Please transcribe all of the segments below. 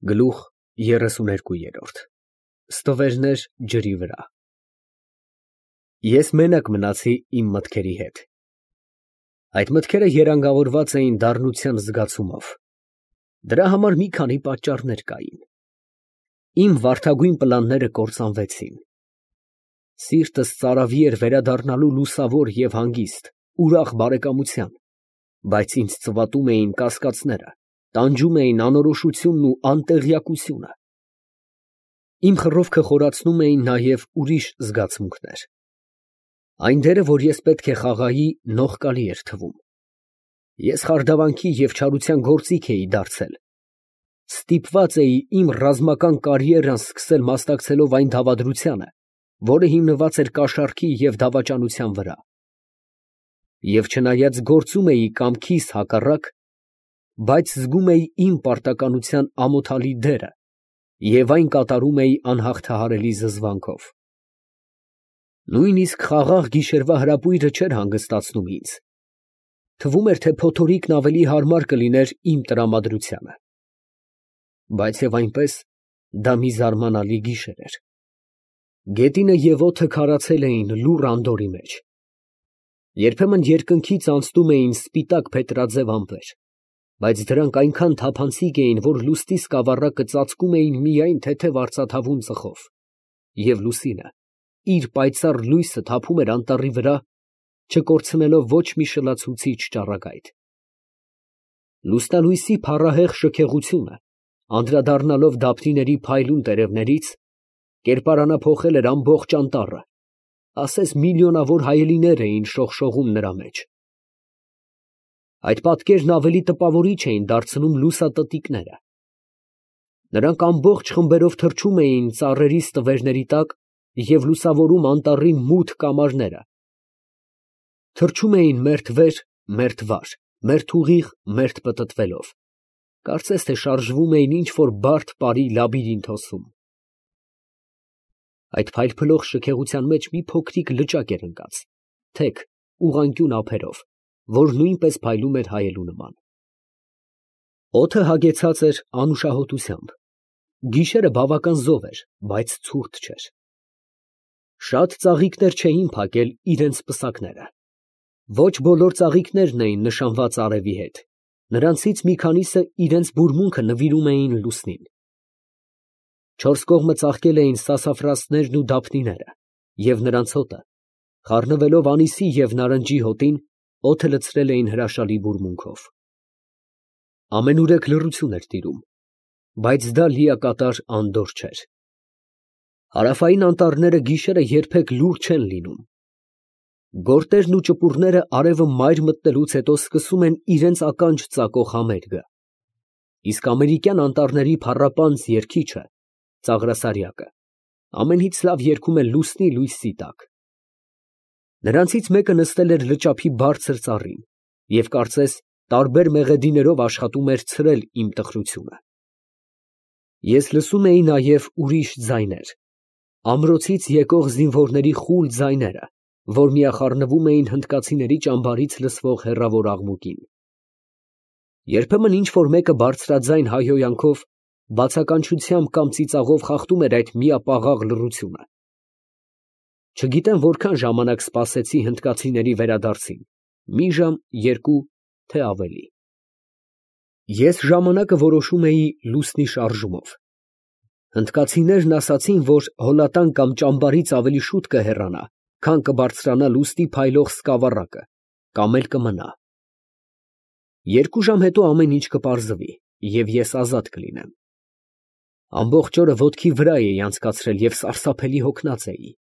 Գլուխ 32 Ստվերներ ջրի վրա։ Ես մենակ մնացի իմ մտքերի հետ։ Այդ մտքերը երանգավորված էին դառնության զգացումով։ Դրա համար մի քանի պատճառներ կային։ Իմ վարդագույն պլանները կործանվեցին։ Սիրտս ծարավի էր վերադառնալու լուսավոր և հանգիստ, ուրախ բարեկամության, բայց ինձ ծվատում էին կասկածները, տանջում էին անորոշությունն ու անտեղյակությունը։ Իմ խռովքը խորացնում էին նաև ուրիշ զգացմունքներ։ Այն դերը, որ ես պետք է խաղայի, նողկալի էր թվում։ Ես խարդավանքի և չարության գործիք էի դարձել։ Ստիպված էի իմ ռազմական կարիերան սկսել մասնակցելով այն դավադրությանը, որը հիմնված էր կաշառքի և դավաճանության վրա։ Եվ չնայած գործում էի կամքիս հակառակ, բայց զգում էի իմ պարտականության ամոթալի դերը և այն կատարում էի անհաղթահարելի զզվանքով։ Նույնիսկ խաղաղ գիշերվա հրապույրը չէր հանգստացնում ինձ։ Թվում էր, թե փոթորիկն ավելի հարմար կլիներ իմ տրամադրությանը։ Բայց և այնպես, դա մի զարմանալի գիշեր էր։ Գետինը և օդը քարացել էին լուռ անդորրի մեջ։ Երբեմն երկնքից անցնում էին սպիտակ փետրաձև ամպեր, բայց դրանք այնքան թափանցիկ էին, որ լուսնի սկավառակը ծածկում էին միայն թեթև արծաթավուն ծխով, և լուսինը իր պայծառ լույսը թափում էր անտառի վրա, չկորցնելով ոչ մի շլացուցիչ ճառագայթ։ Լուսնալույսի փառահեղ շքեղությունը, անդրադառնալով դափնիների փայլուն տերևներից, կերպարանափոխել էր ամբողջ անտառը, ասես միլիոնավոր հայելիներ էին շողշողում նրա մեջ։ Այդ պատկերն ավելի տպավորիչ էին դարձնում լուսատտիկները։ Նրանք ամբողջ խմբերով թռչում էին ծառերի ստվերների տակ և լուսավորում անտառի մութ կամարները։ Թռչում էին մերթ վեր, մերթ վար, մերթ ուղիղ, մերթ պտտվելով, կարծես թե շարժվում էին ինչ֊որ բարդ պարի լաբիրինթոսում։ Այդ փայլփլող շքեղության մեջ մի փոքրիկ լճակ էր ընկած, թեք, ուղղանկյուն ափերով, որ նույնպես փայլում էր հայելու նման։ Օդը հագեցած էր անուշահոտությամբ։ Գիշերը բավական զով էր, բայց ցուրտ չէր։ Շատ ծաղիկներ չէին փակել իրենց պսակները։ Ոչ բոլոր ծաղիկներն էին նշանված արևի հետ, նրանցից մի քանիսը իրենց բուրմունքը նվիրում էին լուսնին։ Չորս կողմը ծաղկել էին սասաֆրասներն ու դափնիները, և նրանց հոտը, խառնվելով անիսի և նարնջի հոտին, օդը լցրել էին հրաշալի բուրմունքով։ Ամենուրեք լռություն էր տիրում, բայց դա լիակատար անդորր չէր։ Հարավային անտառները գիշերը երբեք լուռ չեն լինում։ Գորտերն ու ճպուռները արևը մայր մտնելուց հետո սկսում են իրենց ականջ ծակող համերգը, իսկ ամերիկյան անտառների փառապանծ երգիչը, ծաղրասարյակը, ամենից լավ երգում է լուսնի լույսի տակ։ Նրանցից մեկը նստել էր լճափի բարձր ծառին և կարծես տարբեր մեղեդիներով աշխատում էր ցրել իմ տխրությունը։ Ես լսում էի նաև ուրիշ ձայներ, ամրոցից եկող զինվորների խուլ ձայները, որ միախառնվում էին հնդկացիների ճամբարից լսվող հեռավոր աղմուկին։ Երբեմն ինչ֊որ մեկը բարձրաձայն հայհոյանքով, բացականչությամբ կամ ծիծաղով խախտում էր այդ միապաղաղ լռությունը։ Չգիտեմ որքան ժամանակ սպասեցի հնդկացիների վերադարձին, մի ժամ, երկու, թե ավելի։ Ես ժամանակը որոշում էի լուսնի շարժումով։ Հնդկացիներն ասացին, որ հոլատան կամ ճամբարից ավելի շուտ կհեռանա, քան կբարձրանա լուսնի փայլող սկավառակը, կամ էլ կմնա։ 2 ժամ հետո ամեն ինչ կպարզվի, և ես ազատ կլինեմ։ Ամբողջ օրը ոտքի վրա էի անցկացրել և սարսափելի հոգնած էի։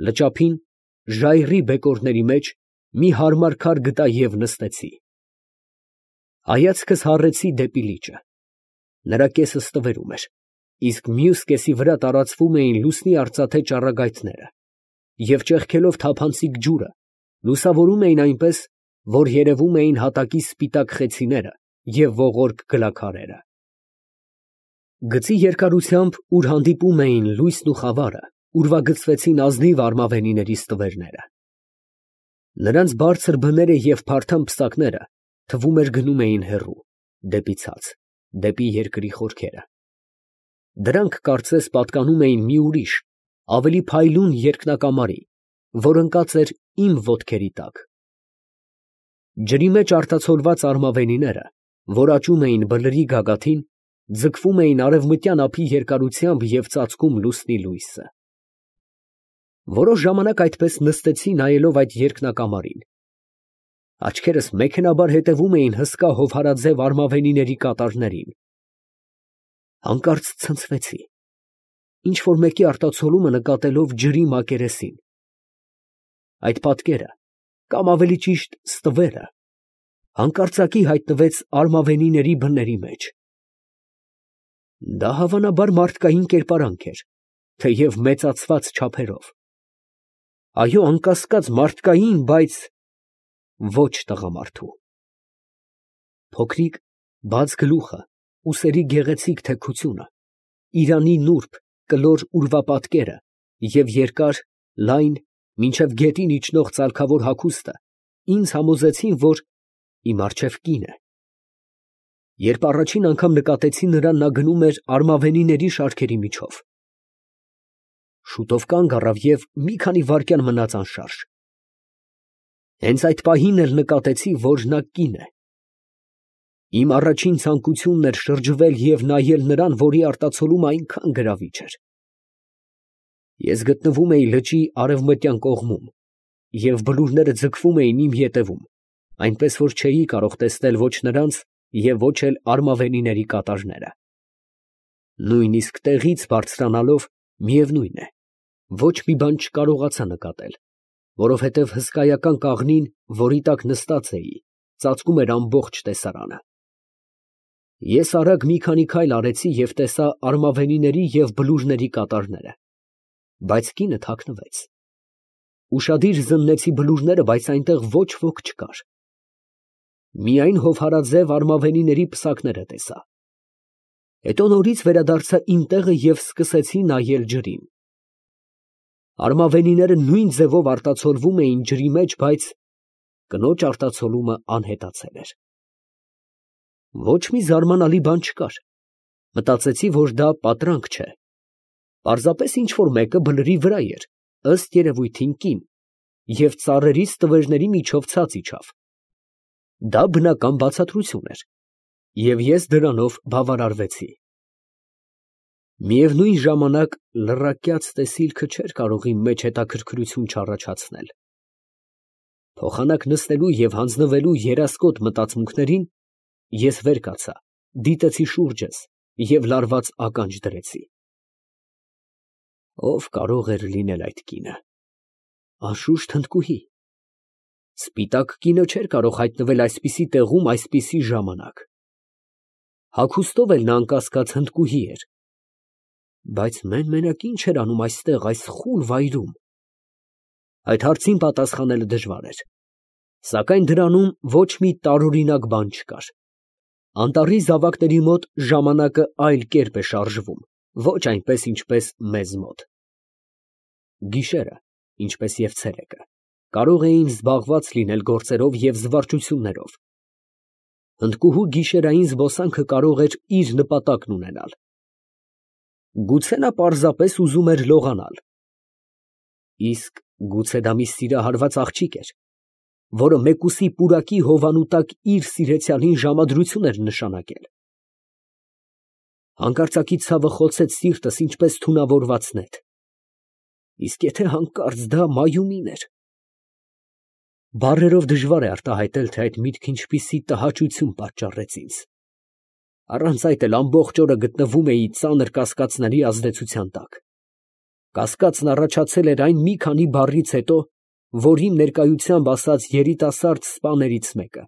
Լճափին, ժայռի բեկորների մեջ, մի հարմար քար գտա և նստեցի։ Հայացքս հառեցի դեպի լիճը։ Նրա կեսը ստվերում էր, իսկ մյուս կեսի վրա տարածվում էին լուսնի արծաթե ճառագայթները, և ճեղքելով թափանցիկ ջուրը, լուսավորում էին այնպես, որ երևում էին հատակի սպիտակ խեցիները և ողորկ գլաքարերը։ Գծի երկարությամբ, ուր հանդիպում էին լույսն ու խավարը, ուրվագծվեցին ազնիվ արմավենիների ստվերները։ Նրանց բարձր բները և փարթամ պսակները, թվում էր, գնում էին հեռու, դեպի ցած, դեպի երկրի խորքերը։ Դրանք կարծես պատկանում էին մի ուրիշ, ավելի փայլուն երկնակամարի, որ ընկած էր իմ ոտքերի տակ։ Ջրի մեջ արտացոլված արմավենիները, որ աճում էին բլրի գագաթին, ձգվում էին արևմտյան ափի երկարությամբ և ծածկում լուսնի լույսը։ Որոշ ժամանակ այդպես նստեցի նայելով այդ երկնակամարին։ Աչքերս մեքենաբար հետևում էին հսկա հովհարաձև արմավենիների կատարներին։ Հանկարծ ցնցվեցի, ինչ֊որ մեկի արտացոլումը նկատելով ջրի մակերեսին։ Այդ պատկերը, կամ ավելի ճիշտ ստվերը, հանկարծակի հայտնվեց արմավենիների բների մեջ։ Դա հավանաբար մարդկային կերպարանք էր, թեև մեծացված չափերով։ Այո, անկասկած մարդկային, բայց ոչ տղամարդու։ Փոքրիկ, բաց գլուխը, ուսերի գեղեցիկ թեքությունը, իրանի նուրբ, կլոր ուրվապատկերը և երկար, լայն, մինչև գետին իջնող ծալքավոր հագուստը ինձ համոզեցին, որ իմ առջև կին է։ Երբ առաջին անգամ նկատեցի նրան, նա գնում էր արմավենիների շարքերի միջով։ Շուտով կանգ առավ և մի քանի վայրկյան մնաց անշարժ։ Հենց այդ պահին էլ նկատեցի, որ նա կին է։ Իմ առաջին ցանկությունն էր շրջվել և նայել նրան, որի արտացոլումը այնքան գրավիչ էր։ Ես գտնվում էի լճի արևմտյան կողմում, և բլուրները ձգվում էին իմ ետևում, այնպես որ չէի կարող տեսնել ոչ նրանց և ոչ էլ արմավենիների կատարները։ Նույնիսկ տեղից բարձրանալով, միևնույն է, ոչ մի բան չկարողացա նկատել, որովհետև հսկայական կաղնին, որի տակ նստած էի, ծածկում էր ամբողջ տեսարանը։ Ես արագ մի քանի քայլ արեցի և տեսա արմավենիների և բլուրների կատարները, բայց կինը թաքնվեց։ Ուշադիր զննեցի բլուրները, բայց այնտեղ ոչ ոք չկար։ Միայն հովհարաձև արմավենիների պսակները տեսա։ Հետո նորից վերադարձա իմ տեղը և սկսեցի նայել ջրին։ Արմավենիները նույն ձևով արտացոլվում էին ջրի մեջ, բայց կնոջ արտացոլումը անհետացել էր։ Ոչ մի զարմանալի բան չկար։ Մտածեցի, որ դա պատրանք չէ։ Պարզապես ինչ֊որ մեկը բլրի վրա էր, ըստ երևույթին կին, և ծառերի ստվերների միջով ցած իջավ։ Դա բնական բացատրություն էր, և ես դրանով բավարարվեցի։ Միևնույն ժամանակ լռակյաց տեսիլքը չէր կարող իմ մեջ հետաքրքրություն չառաջացնել։ Փոխանակ նստելու և հանձնվելու երասկոտ մտածմունքներին, ես վեր կացա, դիտեցի շուրջս և լարված ականջ դրեցի։ Ո՞վ կարող էր լինել այդ կինը։ Անշուշտ հնդկուհի։ Սպիտակ կինը չէր կարող հայտնվել այսպիսի տեղում այսպիսի ժամանակ։ Հագուստով էլ նա անկասկած հնդկուհի էր։ Բայց մեն֊մենակ ի՞նչ էր անում այստեղ, այս խուլ վայրում։ Այդ հարցին պատասխանելը դժվար էր։ Սակայն դրանում ոչ մի տարօրինակ բան չկար։ Անտառի զավակների մոտ ժամանակը այլ կերպ է շարժվում, ոչ այնպես, ինչպես մեզ մոտ։ Գիշերը, ինչպես և ցերեկը, կարող էին զբաղված լինել գործերով և զվարճություններով։ Հնդկուհու գիշերային զբոսանքը կարող էր իր նպատակն ունենալ։ Գուցե նա պարզապես ուզում էր լողանալ։ Իսկ գուցե դա մի սիրահարված աղջիկ էր, որը մեկուսի պուրակի հովանու տակ իր սիրեցյալին ժամադրություն էր նշանակել։ Հանկարծակի ցավը խոցեց սիրտս ինչպես թունավորված նետ։ Իսկ եթե հանկարծ դա Մայումին էր։ Բառերով դժվար է արտահայտել, թե այդ միտքը ինչպիսի տհաճություն պատճառեց ինձ։ Առանց այդ էլ ամբողջ օրը գտնվում էի ծանր կասկածների ազդեցության տակ։ Կասկածն առաջացել էր այն մի քանի բառից հետո, որ իմ ներկայությամբ ասաց երիտասարդ սպաներից մեկը։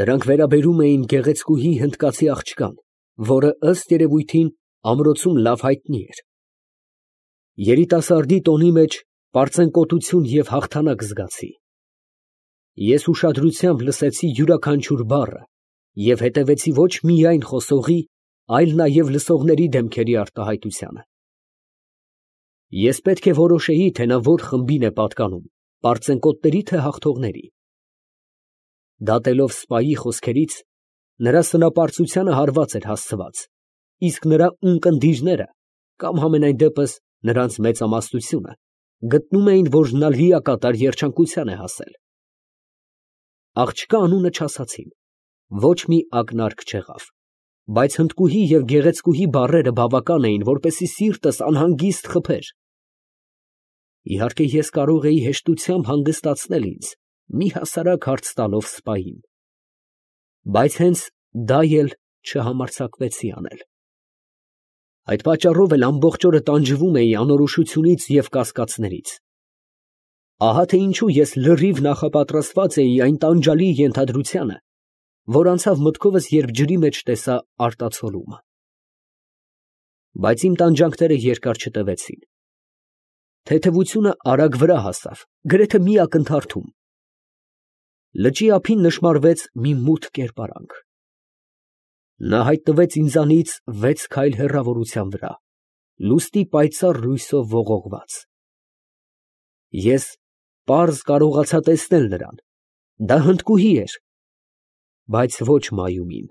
Դրանք վերաբերում էին գեղեցկուհի հնդկացի աղջկան, որը ըստ երևույթին ամրոցում լավ հայտնի էր։ Երիտասարդի տոնի մեջ պարծենկոտություն և հաղթանակ զգացի։ Ես ուշադրությամբ լսեցի յուրաքանչյուր բառը և հետևեցի ոչ միայն խոսողի, այլ նաև լսողների դեմքերի արտահայտությանը։ Ես պետք է որոշեի, թե նա որ խմբին է պատկանում, պարծենկոտների, թե հաղթողների։ Դատելով սպայի խոսքերից, նրա սնապարծությանը հարված էր հասցված, իսկ նրա ունկնդիրները, կամ համենայն դեպս նրանց մեծամասնությունը, գտնում էին, որ նա լիակատար երջանկության է հասել։ Աղջկա անունը չասացին, ոչ մի ակնարկ չեղավ, բայց հնդկուհի և գեղեցկուհի բառերը բավական էին, որպեսզի սիրտս անհանգիստ խփեր։ Իհարկե, ես կարող էի հեշտությամբ հանգստացնել ինձ, մի հասարակ հարց տալով սպային, բայց հենց դա էլ չհամարձակվեցի անել։ Այդ պատճառով էլ ամբողջ օրը տանջվում էի անորոշությունից և կասկածներից։ Ահա թե ինչու ես լրիվ նախապատրաստված էի այն տանջալի ենթադրությանը, որ անցավ մտքովս, երբ ջրի մեջ տեսա արտացոլումը։ Բայց իմ տանջանքները երկար չտևեցին։ Թեթևությունը արագ վրա հասավ, գրեթե մի ակնթարթում։ Լճի ափին նշմարվեց մի մութ կերպարանք։ Նա հայտնվեց ինձանից 6 քայլ հեռավորության վրա, լուսնի պայծառ լույսով ողողված։ Ես պարզ կարողացա տեսնել նրան. դա հնդկուհի էր, բայց ոչ մայումին։